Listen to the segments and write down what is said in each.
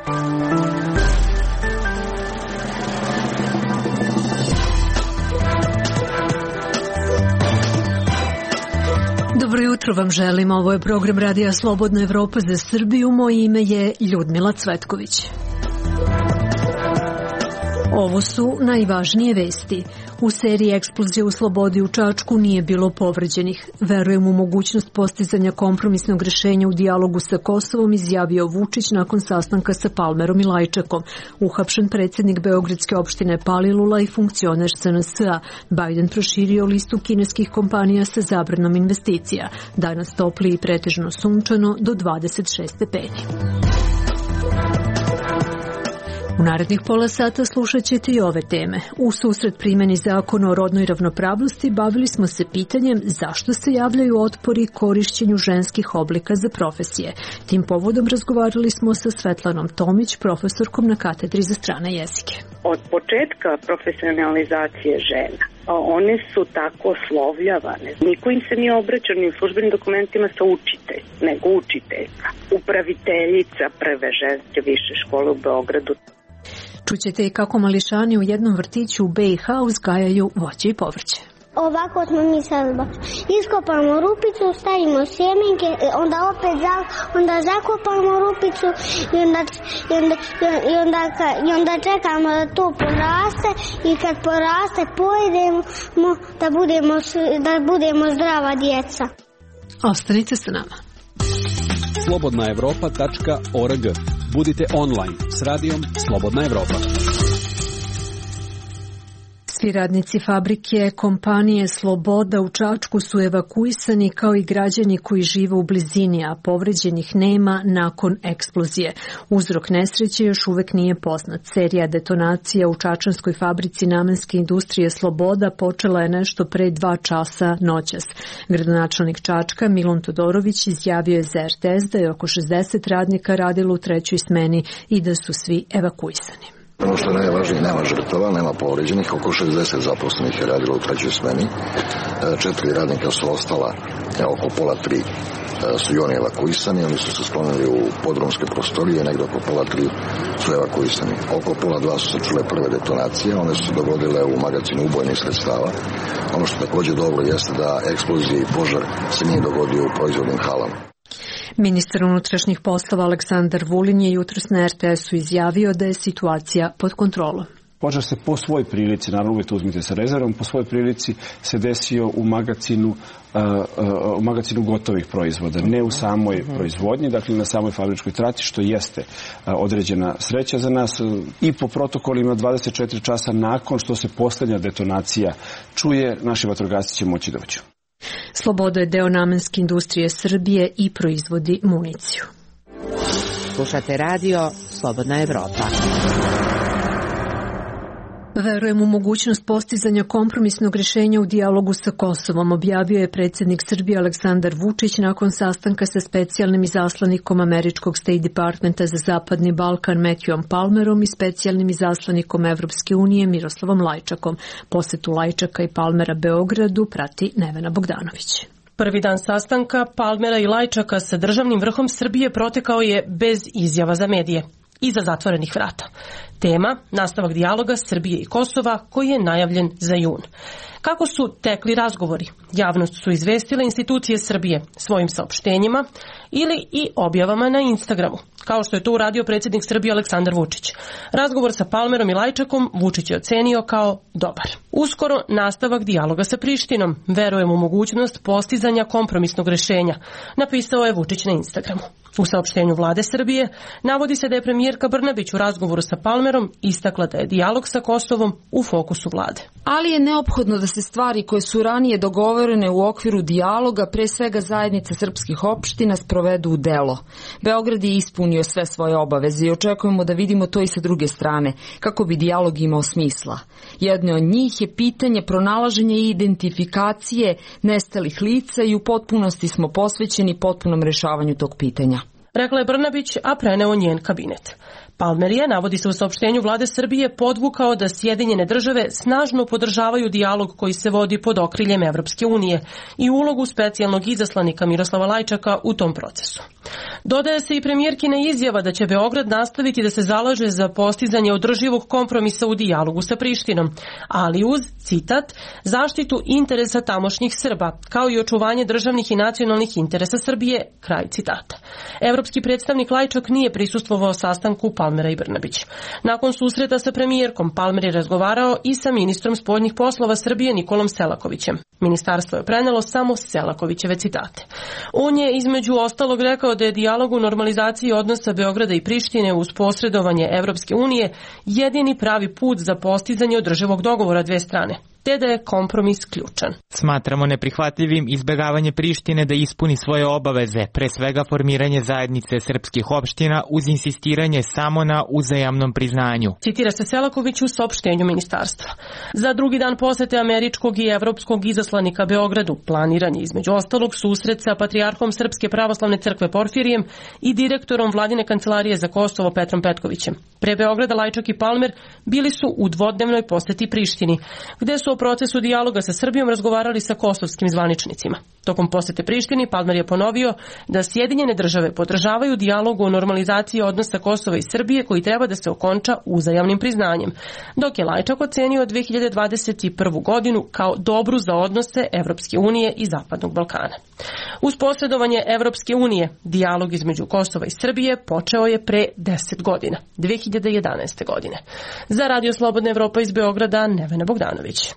Dobro jutro vam želim, ovo je program Radija Slobodna Evropa za Srbiju, moje ime je Ljudmila Cvetković. Ovo su najvažnije vesti. U seriji eksplozije u Slobodi u Čačku nije bilo povređenih. Verujem u mogućnost postizanja kompromisnog rešenja u dijalogu sa Kosovom, izjavio Vučić nakon sastanka sa Palmerom i Lajčakom. Uhapšen predsjednik Beogradske opštine Palilula i funkcioner SNS-a. Biden proširio listu kineskih kompanija sa zabranom investicija. Danas topli i pretežno sunčano do 26 stepeni. U narednih pola sata slušat ćete i ove teme. U susret primjeni zakona o rodnoj ravnopravnosti bavili smo se pitanjem zašto se javljaju otpori korišćenju ženskih oblika za profesije. Tim povodom razgovarali smo sa Svetlanom Tomić, profesorkom na katedri za strane jezike. Od početka profesionalizacije žena one su tako oslovljavane. Niko im se nije obraćao ni u službenim dokumentima sa učitelj, nego učiteljka. Upraviteljica prve ženske više škole u Beogradu. Čućete i kako mališani u jednom vrtiću u BiH uzgajaju voće i povrće. Ovako smo mi sad iskopamo rupicu, stavimo sjemenke, onda zakopamo rupicu i onda čekamo da to poraste i kad poraste pojedemo da budemo zdrava djeca. Ostanite sa nama. Slobodnaevropa.org. Budite online s radijom Slobodna Evropa. Svi radnici fabrike kompanije Sloboda u Čačku su evakuisani kao i građani koji žive u blizini, a povređenih nema nakon eksplozije. Uzrok nesreće još uvek nije poznat. Serija detonacija u čačanskoj fabrici namenske industrije Sloboda počela je nešto pre 2 časa noćas. Gradonačelnik Čačka Milun Todorović izjavio je za RTS da je oko 60 radnika radilo u 3. smeni i da su svi evakuisani. Ono što je najvažnije, nema žrtava, nema povređenih, oko 60 zaposlenih je radilo u 3. smeni, 4 radnika su ostala, oko pola 3 su i oni evakuisani, oni su se sklonili u podrumske prostorije, negdje oko pola 3 su evakuisani. Oko pola 2 su se čule prve detonacije, one su se dogodile u magazinu ubojnih sredstava. Ono što također dobro jeste da eksplozija i požar se nije dogodio u proizvodnim halama. Ministar unutrašnjih poslova Aleksandar Vulin je jutros na RTS-u izjavio da je situacija pod kontrolom. Požar se po svoj prilici, naravno uvijek to uzmite sa rezervom, po svoj prilici se desio u magazinu gotovih proizvoda, ne u samoj proizvodnji, dakle na samoj fabričkoj traci, što jeste određena sreća za nas. I po protokolima 24 časa nakon što se posljednja detonacija čuje, naši vatrogasci će moći doći. Sloboda je deo namenske industrije Srbije i proizvodi municiju. Slušate radio Slobodna Evropa. Verujem u mogućnost postizanja kompromisnog rješenja u dijalogu sa Kosovom, objavio je predsjednik Srbije Aleksandar Vučić nakon sastanka sa specijalnim izaslanikom američkog State Departmenta za Zapadni Balkan Matthewom Palmerom i specijalnim izaslanikom Evropske unije Miroslavom Lajčakom. Posetu Lajčaka i Palmera Beogradu prati Nevena Bogdanović. Prvi dan sastanka Palmera i Lajčaka sa državnim vrhom Srbije protekao je bez izjava za medije. Iza zatvorenih vrata. Tema, nastavak dijaloga Srbije i Kosova koji je najavljen za jun. Kako su tekli razgovori? Javnost su izvestile institucije Srbije svojim saopštenjima ili i objavama na Instagramu, kao što je to uradio predsjednik Srbije Aleksandar Vučić. Razgovor sa Palmerom i Lajčakom Vučić je ocenio kao dobar. Uskoro nastavak dijaloga sa Prištinom. Verujem u mogućnost postizanja kompromisnog rješenja, napisao je Vučić na Instagramu. U saopštenju vlade Srbije navodi se da je premijerka Brnabić u razgovoru sa Palmerom istakla da je dijalog sa Kosovom u fokusu vlade. Ali je neophodno da se stvari koje su ranije dogovorene u okviru dijaloga, pre svega zajednice srpskih opština, sprovedu u delo. Beograd je ispunio sve svoje obaveze i očekujemo da vidimo to i sa druge strane, kako bi dijalog imao smisla. Jedno od njih je pitanje pronalaženja i identifikacije nestalih lica i u potpunosti smo posvećeni potpunom rešavanju tog pitanja. Rekla je Brnabić, a preneo njen kabinet. Palmer je, navodi se u saopštenju vlade Srbije, podvukao da Sjedinjene države snažno podržavaju dijalog koji se vodi pod okriljem Evropske unije i ulogu specijalnog izaslanika Miroslava Lajčaka u tom procesu. Dodaje se i premijerkina izjava da će Beograd nastaviti da se zalaže za postizanje održivog kompromisa u dijalogu sa Prištinom, ali uz, citat, zaštitu interesa tamošnjih Srba, kao i očuvanje državnih i nacionalnih interesa Srbije, kraj citata. Evropski predstavnik Lajčak nije prisustvovao sastanku Palmera i Brnabić. Nakon susreta sa premijerkom, Palmer je razgovarao i sa ministrom spoljnih poslova Srbije Nikolom Selakovićem. Ministarstvo je prenelo samo Selakovićeve citate. On je između ostalog rekao da je dijalog u normalizaciji odnosa Beograda i Prištine uz posredovanje Evropske unije jedini pravi put za postizanje održivog dogovora dve strane, te da je kompromis ključan. Smatramo neprihvatljivim izbjegavanje Prištine da ispuni svoje obaveze, pre svega formiranje zajednice srpskih opština uz insistiranje samo na uzajamnom priznanju. Citira se Selaković u saopštenju ministarstva. Za drugi dan posete američkog i evropskog izaslanika Beogradu planiran je između ostalog susret sa patrijarhom Srpske pravoslavne crkve Porfirijem i direktorom Vladine kancelarije za Kosovo Petrom Petkovićem. Pre Beograda Lajčak i Palmer bili su u dvodnevnoj poseti Prištini, gde su o procesu dijaloga sa Srbijom razgovarali sa kosovskim zvaničnicima. Tokom posete Prištini Palmer je ponovio da Sjedinjene države podržavaju dijalog o normalizaciji odnosa Kosova i Srbije koji treba da se okonča uzajamnim priznanjem, dok je Lajčak ocenio 2021. godinu kao dobru za odnose Evropske unije i Zapadnog Balkana. Uz posredovanje Evropske unije, dijalog između Kosova i Srbije počeo je pre 10 godina, 2011. godine. Za Radio Slobodna Evropa iz Beograda, Nevena Bogdanović.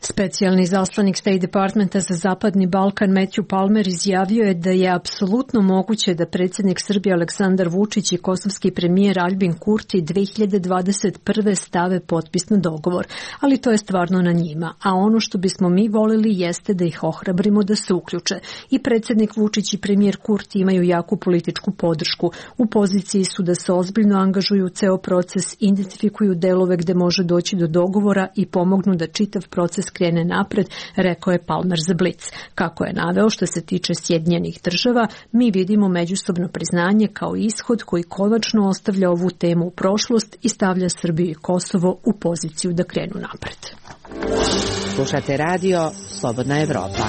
Specijalni zaslanik State Departmenta za Zapadni Balkan Matthew Palmer izjavio je da je apsolutno moguće da predsjednik Srbije Aleksandar Vučić i kosovski premijer Aljbin Kurti 2021. stave potpis na dogovor, ali to je stvarno na njima, a ono što bismo mi volili jeste da ih ohrabrimo da se uključe. I predsjednik Vučić i premijer Kurti imaju jaku političku podršku. U poziciji su da se ozbiljno angažuju u ceo proces, identifikuju delove gde može doći do dogovora i pomognu da čitav proces krene napred, rekao je Palmer za Blic. Kako je naveo, što se tiče Sjedinjenih država, mi vidimo međusobno priznanje kao ishod koji konačno ostavlja ovu temu u prošlost i stavlja Srbiju i Kosovo u poziciju da krenu napred. Slušate radio Slobodna Evropa.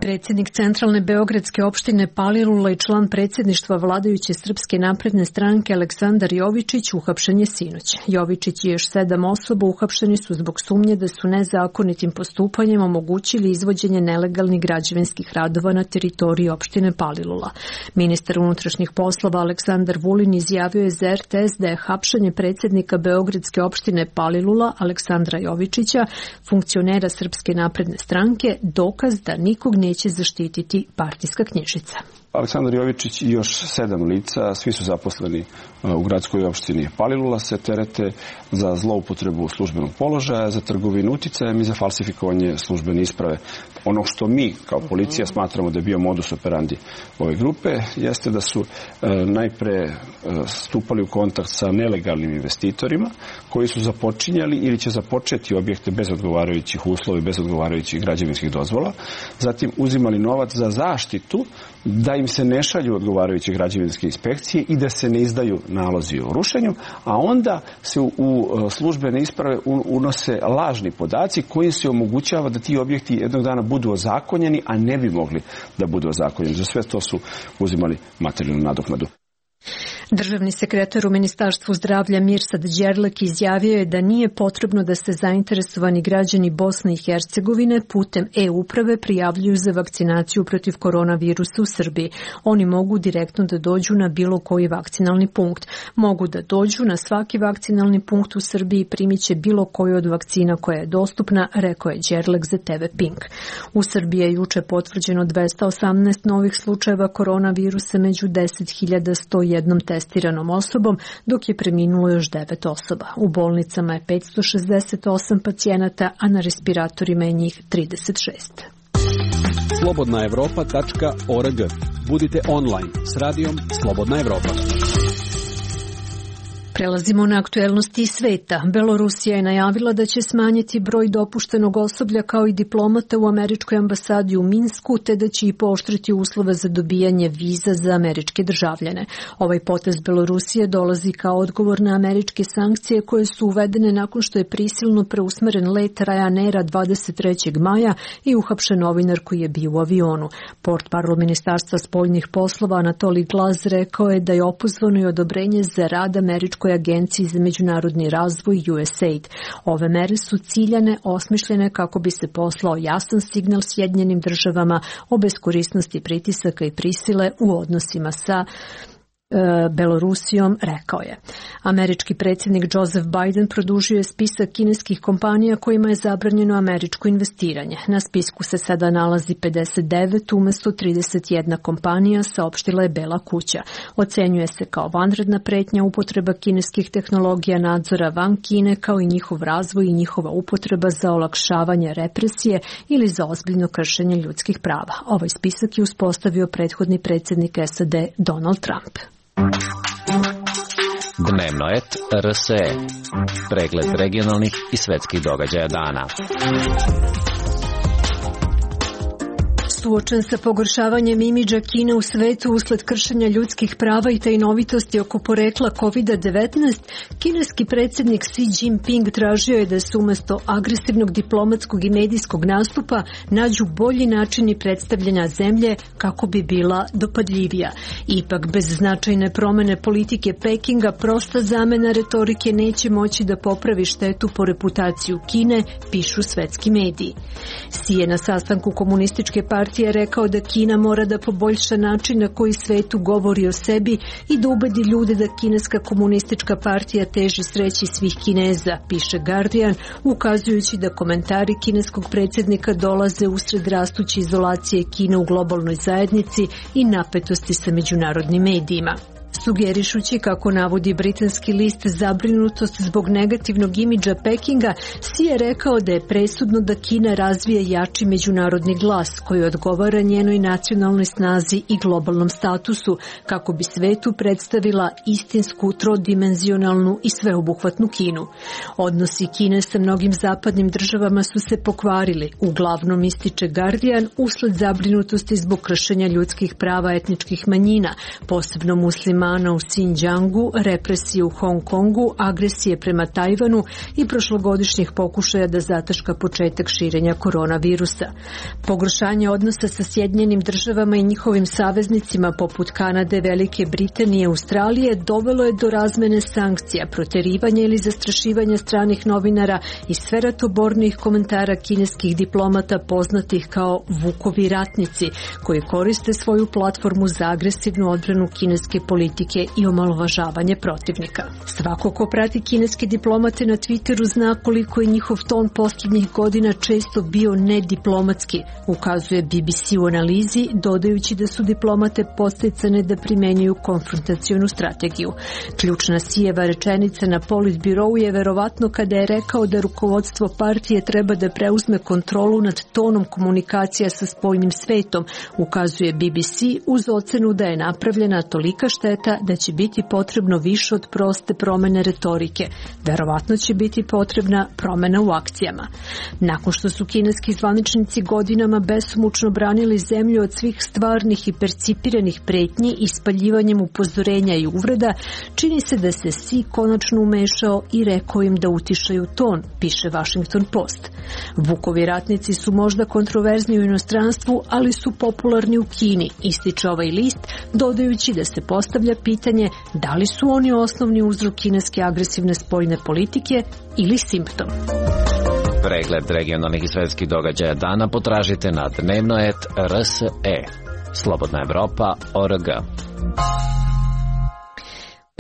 Predsjednik centralne beogradske opštine Palilula i član predsjedništva vladajuće Srpske napredne stranke Aleksandar Jovičić uhapšen je sinoć. Jovičić i još 7 osoba uhapšeni su zbog sumnje da su nezakonitim postupanjem omogućili izvođenje nelegalnih građevinskih radova na teritoriji opštine Palilula. Ministar unutrašnjih poslova Aleksandar Vulin izjavio je za RTS da je hapšenje predsjednika beogradske opštine Palilula Aleksandra Jovičića, funkcionera Srpske napredne stranke, dokaz da nikog neće zaštititi partijska knjižica. Aleksandar Jovičić i još 7 lica, svi su zaposleni u gradskoj opštini Palilula, se terete za zloupotrebu službenog položaja, za trgovinu uticajem i za falsifikovanje službene isprave. Ono što mi kao policija smatramo da je bio modus operandi ove grupe jeste da su najpre stupali u kontakt sa nelegalnim investitorima koji su započinjali ili će započeti objekte bez odgovarajućih uslova i bez odgovarajućih građevinskih dozvola, zatim uzimali novac za zaštitu da im se ne šalju odgovarajuće građevinske inspekcije i da se ne izdaju nalozi o rušenju, a onda se u službene isprave unose lažni podaci koji se omogućava da ti objekti jednog dana budu ozakonjeni, a ne bi mogli da budu ozakonjeni. Za sve to su uzimali materijalnu nadoknadu. Državni sekretar u Ministarstvu zdravlja Mirsad Đerlek izjavio je da nije potrebno da se zainteresovani građani Bosne i Hercegovine putem e-uprave prijavljuju za vakcinaciju protiv koronavirusa u Srbiji. Oni mogu direktno da dođu na bilo koji vakcinalni punkt. Mogu da dođu na svaki vakcinalni punkt u Srbiji i primit će bilo koju od vakcina koja je dostupna, rekao je Đerlek za TV Pink. U Srbiji je juče potvrđeno 218 novih slučajeva koronavirusa među 10.101 testiranom osobom, dok je preminulo još 9 osoba. U bolnicama je 568 pacijenata, a na respiratorima je njih 36. slobodnaevropa.org. Budite online s radijom Slobodna Evropa. Prelazimo na aktuelnosti sveta. Belorusija je najavila da će smanjiti broj dopuštenog osoblja kao i diplomata u američkoj ambasadi u Minsku, te da će i pooštriti uslove za dobijanje viza za američke državljane. Ovaj potez Belorusije dolazi kao odgovor na američke sankcije koje su uvedene nakon što je prisilno preusmeren let Ryanaira 23. maja i uhapšen novinar koji je bio u avionu. Portparol Ministarstva spoljnih poslova Anatolij Glaz rekao je da je opozvano i odobrenje za rad američkoj agenciji za međunarodni razvoj USAID. Ove mere su ciljane, osmišljene kako bi se poslao jasan signal Sjedinjenim državama o beskorisnosti pritisaka i prisile u odnosima sa Belorusijom, rekao je. Američki predsjednik Joseph Biden produžio je spisak kineskih kompanija kojima je zabranjeno američko investiranje. Na spisku se sada nalazi 59 umjesto 31 kompanija, saopštila je Bela kuća. Ocenjuje se kao vanredna pretnja upotreba kineskih tehnologija nadzora van Kine, kao i njihov razvoj i njihova upotreba za olakšavanje represije ili za ozbiljno kršenje ljudskih prava. Ovaj spisak je uspostavio prethodni predsjednik SAD Donald Trump. Dnevnoet RSE. Pregled regionalnih i svetskih događaja dana. Suočen sa pogoršavanjem imidža Kine u svetu usled kršenja ljudskih prava i tajnovitosti oko porekla COVID-19, kineski predsjednik Xi Jinping tražio je da se umjesto agresivnog diplomatskog i medijskog nastupa nađu bolji načini predstavljanja zemlje kako bi bila dopadljivija. Ipak, bez značajne promjene politike Pekinga, prosta zamena retorike neće moći da popravi štetu po reputaciju Kine, pišu svetski mediji. Xi je na sastanku komunističke partije rekao da Kina mora da poboljša način na koji svetu govori o sebi i da ubedi ljude da kineska komunistička partija teži sreći svih Kineza, piše Guardian, ukazujući da komentari kineskog predsjednika dolaze usred rastuće izolacije Kine u globalnoj zajednici i napetosti sa međunarodnim medijima. Sugerišući, kako navodi britanski list, zabrinutost zbog negativnog imidža Pekinga, Xi je rekao da je presudno da Kina razvije jači međunarodni glas koji odgovara njenoj nacionalnoj snazi i globalnom statusu, kako bi svetu predstavila istinsku, trodimenzionalnu i sveobuhvatnu Kinu. Odnosi Kine sa mnogim zapadnim državama su se pokvarili, uglavnom, ističe Guardian, usled zabrinutosti zbog kršenja ljudskih prava etničkih manjina, posebno muslima u Xinjiangu, represije u Hong Kongu, agresije prema Tajvanu i prošlogodišnjih pokušaja da zataška početak širenja koronavirusa. Pogoršanje odnosa sa Sjedinjenim državama i njihovim saveznicima poput Kanade, Velike Britanije i Australije dovelo je do razmene sankcija, proterivanja ili zastrašivanja stranih novinara i sve ratobornijih komentara kineskih diplomata poznatih kao Vukovi ratnici, koji koriste svoju platformu za agresivnu odbranu kineske politike i omalovažavanje protivnika. Svako ko prati kineske diplomate na Twitteru zna koliko je njihov ton posljednjih godina često bio nediplomatski, ukazuje BBC u analizi, dodajući da su diplomate podsticane da primenjuju konfrontacionu strategiju. Ključna Xijeva rečenica na Politbirou je verovatno kada je rekao da rukovodstvo partije treba da preuzme kontrolu nad tonom komunikacija sa spoljnim svetom, ukazuje BBC uz ocenu da je napravljena tolika šteta da će biti potrebno više od proste promjene retorike. Verovatno će biti potrebna promjena u akcijama. Nakon što su kineski zvaničnici godinama besomučno branili zemlju od svih stvarnih i percipiranih pretnji i spaljivanjem upozorenja i uvreda, čini se da se Xi konačno umešao i rekao im da utišaju ton, piše Washington Post. Vukovi ratnici su možda kontroverzni u inostranstvu, ali su popularni u Kini, ističe ovaj list, dodajući da se postavlja pitanje da li su oni osnovni uzrok kineske agresivne spoljne politike ili simptom. Pregled regionalnih i svetskih događaja dana potražite na Dnevnoet RSE. Slobodna Evropa.org.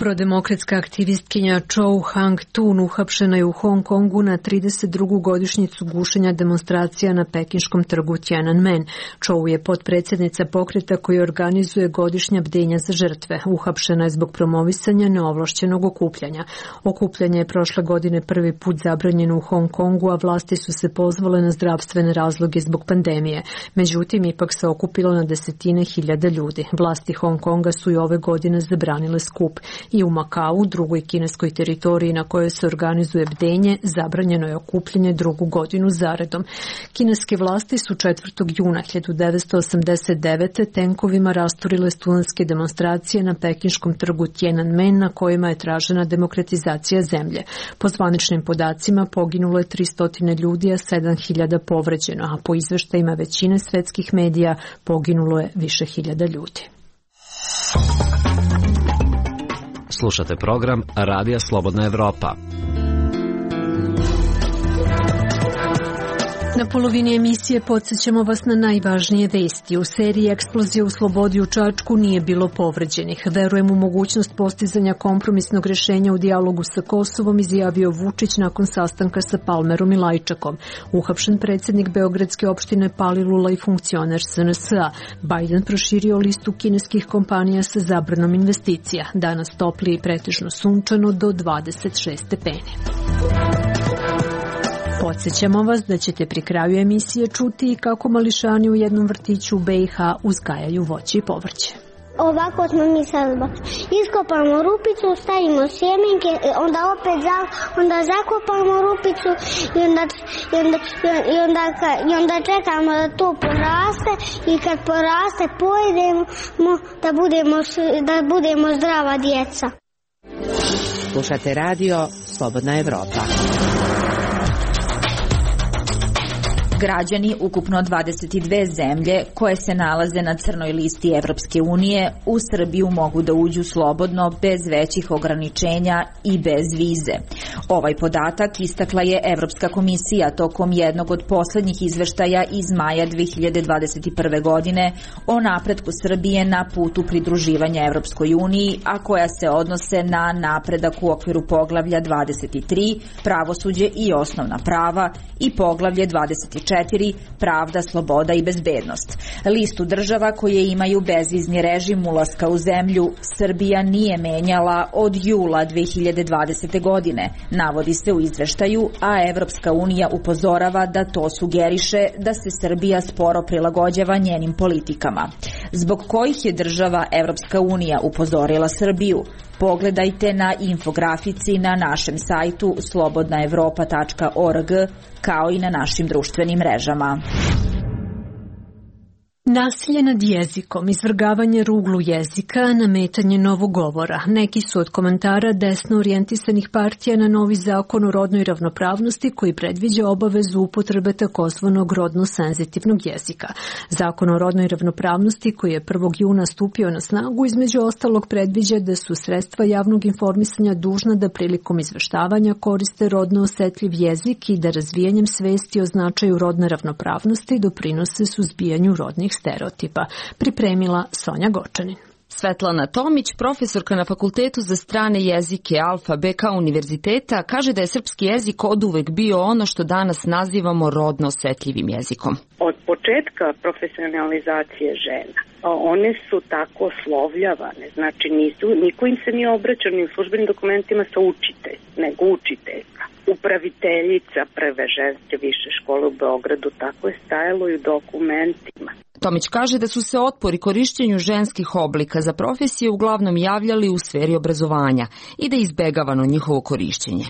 Prodemokratska aktivistkinja Chou Hang-tun uhapšena je u Hong Kongu na 32. godišnjicu gušenja demonstracija na pekinškom trgu Tiananmen. Chou je potpredsjednica pokreta koji organizuje godišnja bdenja za žrtve. Uhapšena je zbog promovisanja neovlašćenog okupljanja. Okupljanje je prošle godine prvi put zabranjeno u Hong Kongu, a vlasti su se pozvale na zdravstvene razloge zbog pandemije. Međutim, ipak se okupilo na desetine hiljada ljudi. Vlasti Hong Konga su i ove godine zabranile skup. I u Makau, drugoj kineskoj teritoriji na kojoj se organizuje bdenje, zabranjeno je okupljanje drugu godinu zaredom. Kineske vlasti su 4. juna 1989. tenkovima rasturile studentske demonstracije na pekinškom trgu Tiananmen na kojima je tražena demokratizacija zemlje. Po zvaničnim podacima poginulo je 300 ljudi, a 7.000 povređeno, a po izveštajima većine svetskih medija poginulo je više hiljada ljudi. Slušate program Radija Slobodna Evropa. Na polovini emisije podsjećamo vas na najvažnije vesti. U seriji eksplozije u Slobodi u Čačku nije bilo povređenih. Verujem u mogućnost postizanja kompromisnog rešenja u dijalogu sa Kosovom, izjavio Vučić nakon sastanka sa Palmerom i Lajčakom. Uhapšen predsjednik Beogradske opštine Palilula i funkcioner SNS-a. Biden proširio listu kineskih kompanija sa zabranom investicija. Danas toplije i pretežno sunčano do 26 stepeni. Podsjećamo vas da ćete pri kraju emisije čuti kako mališani u jednom vrtiću u BiH uzgajaju voće i povrće. Ovako smo mi sad iskopamo rupicu, stavimo sjemenke, onda zakopamo rupicu i onda čekamo da to poraste i kad poraste pojedemo da budemo zdrava djeca. Slušate radio Slobodna Evropa. Građani ukupno 22 zemlje koje se nalaze na crnoj listi Evropske unije u Srbiju mogu da uđu slobodno bez većih ograničenja i bez vize. Ovaj podatak istakla je Evropska komisija tokom jednog od poslednjih izveštaja iz maja 2021. godine o napretku Srbije na putu pridruživanja Evropskoj uniji, a koja se odnose na napredak u okviru poglavlja 23, pravosuđe i osnovna prava, i poglavlje 24, pravda, sloboda i bezbednost. Listu država koje imaju bezvizni režim ulaska u zemlju Srbija nije menjala od jula 2020. godine, navodi se u izveštaju, a Evropska unija upozorava da to sugeriše da se Srbija sporo prilagođava njenim politikama. Zbog kojih je država Evropska unija upozorila Srbiju? Pogledajte na infografici na našem sajtu slobodnaevropa.org kao i na našim društvenim mrežama. Nasilje nad jezikom, izvrgavanje ruglu jezika, nametanje novog govora. Neki su od komentara desno orijentisanih partija na novi zakon o rodnoj ravnopravnosti koji predviđa obavezu upotrebe takozvanog rodno senzitivnog jezika. Zakon o rodnoj ravnopravnosti koji je 1. juna stupio na snagu između ostalog predviđa da su sredstva javnog informisanja dužna da prilikom izveštavanja koriste rodno osetljiv jezik i da razvijanjem svesti o značaju rodne ravnopravnosti doprinose suzbijanju rodnih stereotipa. Pripremila Sonja Gočanin. Svetlana Tomić, profesorka na Fakultetu za strane jezike Alfa BK univerziteta, kaže da je srpski jezik oduvek bio ono što danas nazivamo rodno osetljivim jezikom. Od početka profesionalizacije žena, one su tako oslovljavane, znači niko im se nije obraćao ni u službenim dokumentima sa učitelj, nego učiteljka. Upraviteljica prve ženske više škole u Beogradu, tako je stajalo i u dokumentima. Tomić kaže da su se otpori korišćenju ženskih oblika za profesije uglavnom javljali u sferi obrazovanja i da je izbegavano njihovo korišćenje.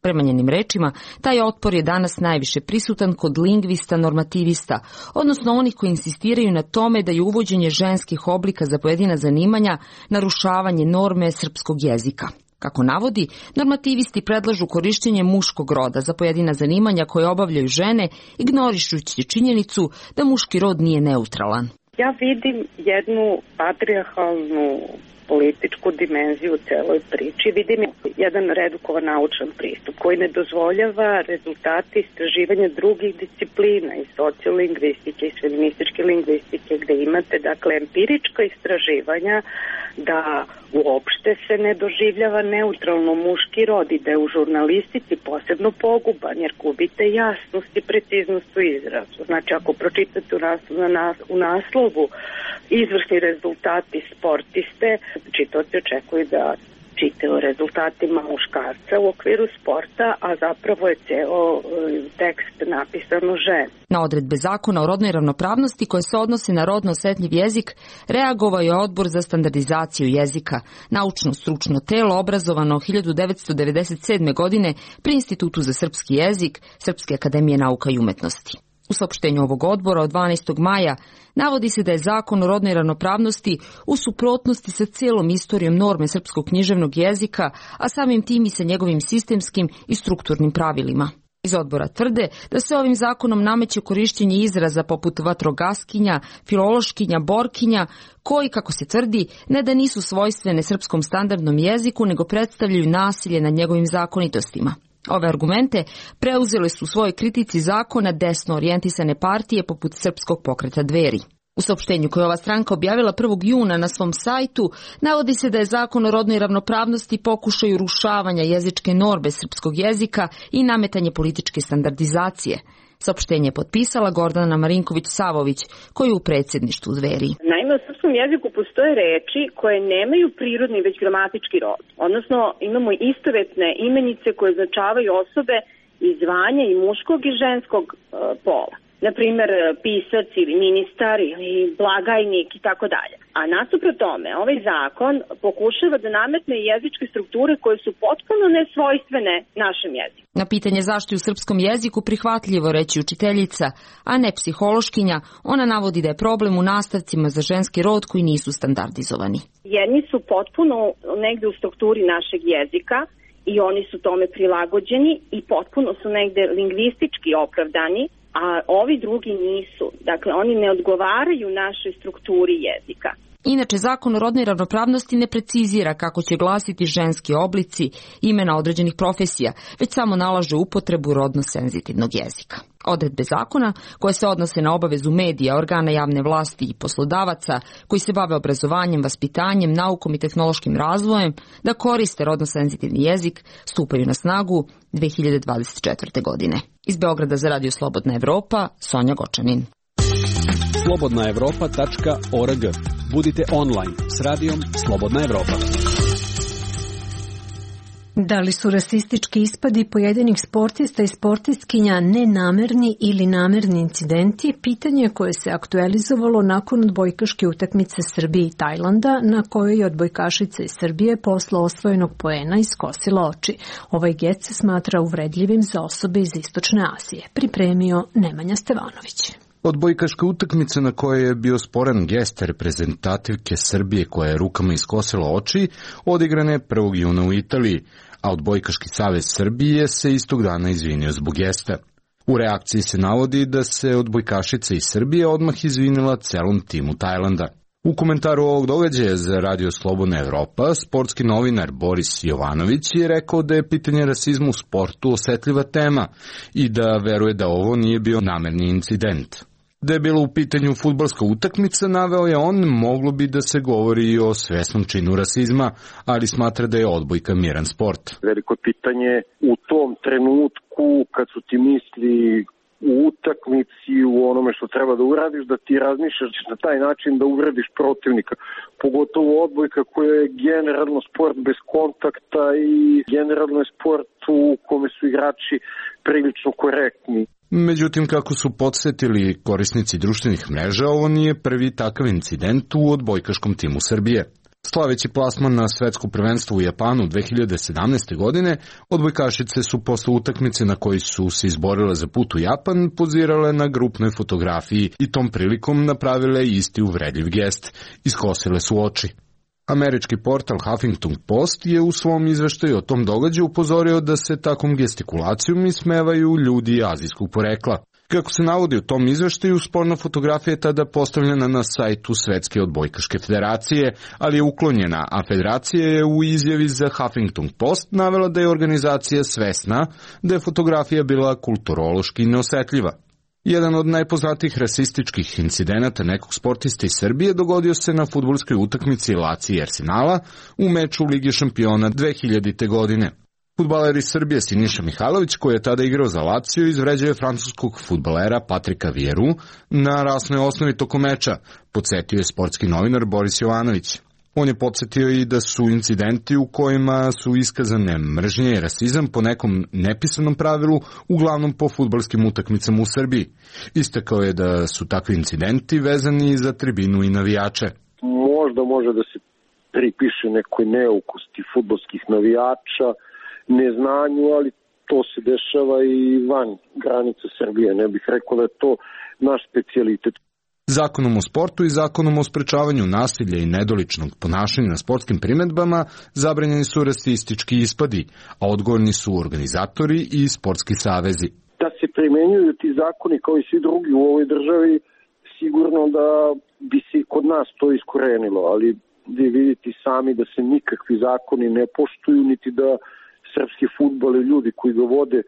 Prema njenim rečima, taj otpor je danas najviše prisutan kod lingvista normativista, odnosno onih koji insistiraju na tome da je uvođenje ženskih oblika za pojedina zanimanja narušavanje norme srpskog jezika. Kako navodi, normativisti predlažu korišćenje muškog roda za pojedina zanimanja koje obavljaju žene, ignorišući činjenicu da muški rod nije neutralan. Ja vidim jednu patrijarhalnu političku dimenziju u celoj priči. Vidim jedan redukovan naučan pristup koji ne dozvoljava rezultate istraživanja drugih disciplina i sociolingvistike i feminističke lingvistike gde imate dakle empirička istraživanja da uopšte se ne doživljava neutralno muški rod i da je u žurnalistici posebno poguban jer gubite jasnost i preciznost u izrazu. Znači ako pročitate u naslovu izvrsni rezultati sportiste, čitaoci očekuju da čitaju o rezultatima muškarca u okviru sporta, a zapravo je ceo tekst napisan o ženi. Na odredbe zakona o rodnoj ravnopravnosti koje se odnose na rodno osetljiv jezik reagovao je Odbor za standardizaciju jezika, naučno-stručno telo obrazovano 1997. godine pri Institutu za srpski jezik Srpske akademije nauka i umetnosti. U saopštenju ovog odbora od 12. maja navodi se da je zakon o rodnoj ravnopravnosti u suprotnosti sa celom istorijom norme srpskog književnog jezika, a samim tim i sa njegovim sistemskim i strukturnim pravilima. Iz odbora tvrde da se ovim zakonom nameće korišćenje izraza poput vatrogaskinja, filološkinja, borkinja, koji, kako se tvrdi, ne da nisu svojstvene srpskom standardnom jeziku, nego predstavljaju nasilje nad njegovim zakonitostima. Ove argumente preuzele su u svojoj kritici zakona desno orijentisane partije poput Srpskog pokreta Dveri. U saopštenju koje ova stranka objavila 1. juna na svom sajtu navodi se da je zakon o rodnoj ravnopravnosti pokušaj urušavanja jezičke norme srpskog jezika i nametanje političke standardizacije. Saopštenje je potpisala Gordana Marinković-Savović, koja je u predsjedništvu Dveri. Naime, u srpskom jeziku postoje reči koje nemaju prirodni već gramatički rod. Odnosno, imamo istovetne imenice koje označavaju osobe i zvanja i muškog i ženskog pola. Naprimer, pisac ili ministar ili blagajnik i tako dalje. A nasuprot tome, ovaj zakon pokušava da nametne jezičke strukture koje su potpuno nesvojstvene našem jeziku. Na pitanje zašto je u srpskom jeziku prihvatljivo reći učiteljica, a ne psihološkinja, ona navodi da je problem u nastavcima za ženski rod koji nisu standardizovani. Jedni su potpuno negde u strukturi našeg jezika i oni su tome prilagođeni i potpuno su negde lingvistički opravdani, a ovi drugi nisu. Dakle, oni ne odgovaraju našoj strukturi jezika. Inače, zakon o rodnoj ravnopravnosti ne precizira kako će glasiti ženski oblici imena određenih profesija, već samo nalaže upotrebu rodno senzitivnog jezika. Odredbe zakona, koje se odnose na obavezu medija, organa javne vlasti i poslodavaca koji se bave obrazovanjem, vaspitanjem, naukom i tehnološkim razvojem, da koriste rodno senzitivni jezik, stupaju na snagu 2024. godine. Iz Beograda za Radio Slobodna Evropa, Sonja Gočanin. slobodnaevropa.org. Budite online s radijom Slobodna Evropa. Da li su rasistički ispadi pojedinih sportista i sportistkinja nenamerni ili namerni incidenti, pitanje koje se aktualizovalo nakon odbojkaške utakmice Srbije i Tajlanda, na kojoj je odbojkašica iz Srbije posle osvojenog poena iskosila oči. Ovaj gest se smatra uvredljivim za osobe iz Istočne Azije. Pripremio Nemanja Stevanović. Odbojkaška utakmica na kojoj je bio sporan gest reprezentativke Srbije koja je rukama iskosila oči, odigrana je 1. juna u Italiji, a Odbojkaški savez Srbije se istog dana izvinio zbog gesta. U reakciji se navodi da se odbojkašica iz Srbije odmah izvinila celom timu Tajlanda. U komentaru ovog događaja za Radio Slobodna Evropa, sportski novinar Boris Jovanović je rekao da je pitanje rasizma u sportu osetljiva tema i da veruje da ovo nije bio namerni incident. Da je bilo u pitanju fudbalska utakmica, naveo je on, moglo bi da se govori i o svesnom činu rasizma, ali smatra da je odbojka miran sport. Veliko pitanje u tom trenutku kad su ti misli u utakmici, u onome što treba da uradiš, da ti razmišljaš na taj način da uvrediš protivnika. Pogotovo odbojka koja je generalno sport bez kontakta i generalno je sport u kome su igrači prilično korektni. Međutim, kako su podsjetili korisnici društvenih mreža, ovo nije prvi takav incident u odbojkaškom timu Srbije. Slaveći plasman na svetsko prvenstvo u Japanu 2017. godine, odbojkašice su posle utakmice na kojoj su se izborile za put u Japan pozirale na grupnoj fotografiji i tom prilikom napravile isti uvredljiv gest, iskosile su oči. Američki portal Huffington Post je u svom izveštaju o tom događaju upozorio da se takvom gestikulacijom ismevaju ljudi azijskog porekla. Kako se navodi u tom izveštaju, sporna fotografija je tada postavljena na sajtu Svetske odbojkaške federacije, ali je uklonjena, a federacija je u izjavi za Huffington Post navela da je organizacija svesna da je fotografija bila kulturološki neosetljiva. Jedan od najpoznatijih rasističkih incidenata nekog sportista iz Srbije dogodio se na fudbalskoj utakmici Lazio i Arsenala u meču Lige šampiona 2000. godine. Fudbaler iz Srbije Siniša Mihajlović, koji je tada igrao za Lazio, izvređao je francuskog fudbalera Patrika Vieru na rasnoj osnovi tokom meča, podsjetio je sportski novinar Boris Jovanović. On je podsjetio i da su incidenti u kojima su iskazane mržnje i rasizam po nekom nepisanom pravilu, uglavnom po fudbalskim utakmicama u Srbiji. Istakao je da su takvi incidenti vezani za tribinu i navijače. Možda može da se pripiše nekoj neukosti fudbalskih navijača, neznanju, ali to se dešava i van granica Srbije. Ne bih rekao da je to naš specijalitet. Zakonom o sportu i zakonom o sprečavanju nasilja i nedoličnog ponašanja na sportskim priredbama zabranjeni su rasistički ispadi, a odgovorni su organizatori i sportski savezi. Da se primenjuju ti zakoni kao i svi drugi u ovoj državi, sigurno da bi se i kod nas to iskorenilo, ali vi vidite sami da se nikakvi zakoni ne poštuju, niti da srpski fudbal i ljudi koji ga vode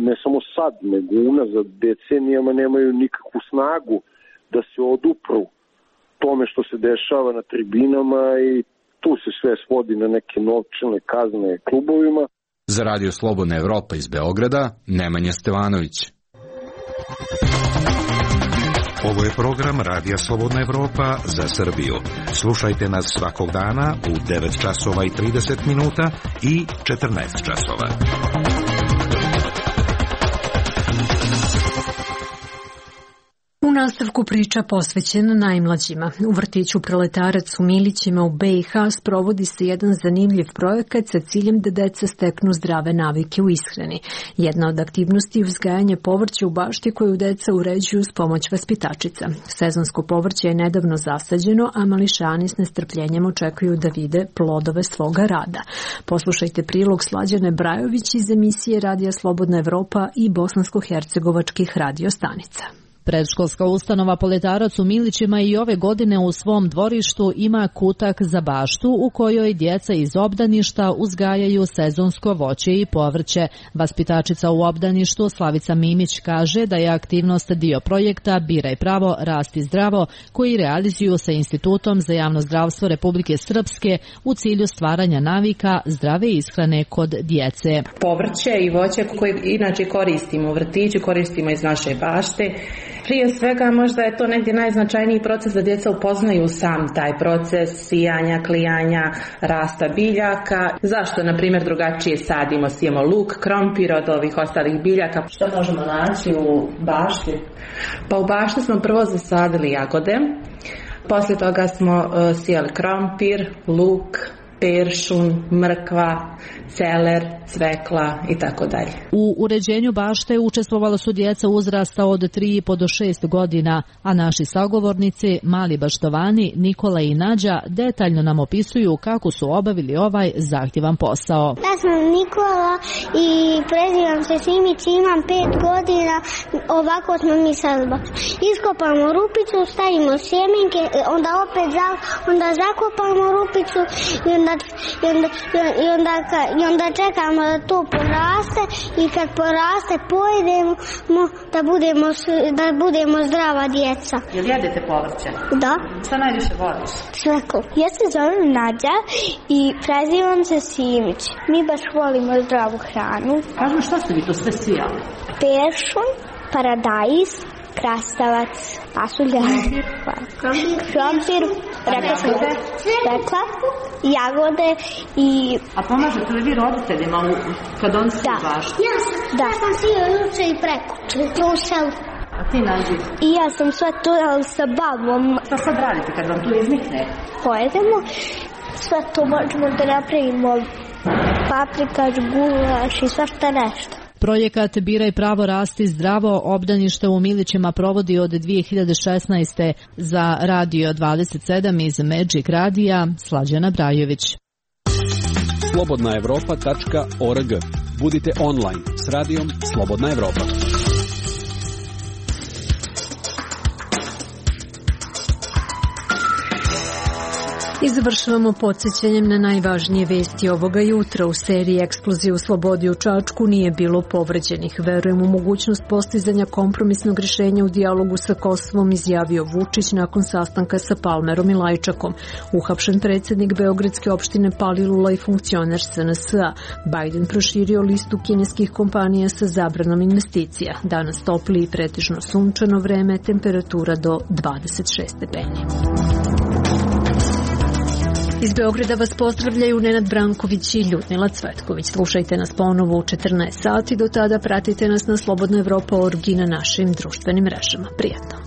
ne samo sad, nego unazad decenijama nemaju nikakvu snagu da se odupru tome što se dešava na tribinama i tu se sve svodi na neke novčane kazne klubovima. Za Radio Slobodna Evropa iz Beograda, Nemanja Stevanović. Ovo je program Radija Slobodna Evropa za Srbiju. Slušajte nas svakog dana u 9 časova i 30 minuta i 14 časova. U nastavku priča posvećena najmlađima. U vrtiću Proletarac u Milićima u BiH sprovodi se jedan zanimljiv projekat sa ciljem da deca steknu zdrave navike u ishrani. Jedna od aktivnosti je uzgajanje povrća u bašti koju deca uređuju s pomoć vaspitačica. Sezonsko povrće je nedavno zasađeno, a mališani s nestrpljenjem očekuju da vide plodove svoga rada. Poslušajte prilog Slađane Brajović iz emisije Radija Slobodna Evropa i bosansko-hercegovačkih radio stanica. Predškolska ustanova Proletarac u Milićima i ove godine u svom dvorištu ima kutak za baštu u kojoj djeca iz obdaništa uzgajaju sezonsko voće i povrće. Vaspitačica u obdaništu Slavica Mimić kaže da je aktivnost dio projekta Biraj pravo, rasti zdravo, koji realizuju sa Institutom za javno zdravstvo Republike Srpske u cilju stvaranja navika zdrave ishrane kod djece. Povrće i voće koje inače koristimo u vrtiću, koristimo iz naše bašte. Prije svega možda je to negdje najznačajniji proces da djeca upoznaju sam taj proces sijanja, klijanja, rasta biljaka. Zašto, na primjer, drugačije sijemo luk, krompir od ovih ostalih biljaka. Što možemo naći u bašti? Pa u bašti smo prvo zasadili jagode, poslije toga smo sijali krompir, luk, peršun, mrkva, celer, cvekla i tako dalje. U uređenju bašte učestvovala su djeca uzrasta od 3,5 do 6 godina, a naši sagovornici, mali baštovani Nikola i Nađa, detaljno nam opisuju kako su obavili ovaj zahtjevan posao. Ja sam Nikola i prezivam se Simić, imam 5 godina, ovako smo mi sad baš. Iskopamo rupicu, stavimo sjemenke, onda zakopamo rupicu i onda čekamo da to poraste i kad poraste pojedemo da budemo zdrava djeca. Jel jedete povrće? Da. Šta najviše voliš? Sveko. Ja se zovem Nađa i prezivam se Simić. Mi baš volimo zdravu hranu. Kažem, šta ste vi to sve sijali? Peršun, paradajz, krastavac, pasulja, krompir, rekla, jagode i... A pomažete li vi roditeljima kad on se baš? Da. Ja sam sio juče i prekuče, trušel. A ti Nađi? I ja sam sve to sa babom. Šta sad radite kad vam tu iznikne? Pojedemo, sve to možemo da napravimo paprikaš, gulaš i svašta nešto. Projekat Biraj pravo, rasti zdravo obdanište u Milićima provodi od 2016. Za Radio 27 iz Magic Radija Slađana Brajović. slobodnaevropa.org. Budite online s radijom Slobodna Evropa. I završavamo podsjećanjem na najvažnije vesti ovoga jutra. U seriji eksplozije u Slobodi u Čačku nije bilo povređenih. Verujem u mogućnost postizanja kompromisnog rješenja u dijalogu sa Kosovom, izjavio Vučić nakon sastanka sa Palmerom i Lajčakom. Uhapšen predsjednik Beogradske opštine Palilula i funkcioner SNS-a. Biden proširio listu kineskih kompanija sa zabranom investicija. Danas topli i pretežno sunčano vreme, temperatura do 26 stepeni. Iz Beograda vas pozdravljaju Nenad Branković i Ljudmila Cvetković. Slušajte nas ponovo u 14 sati. Do tada pratite nas na Slobodna Evropa.org i na našim društvenim mrežama. Prijatno.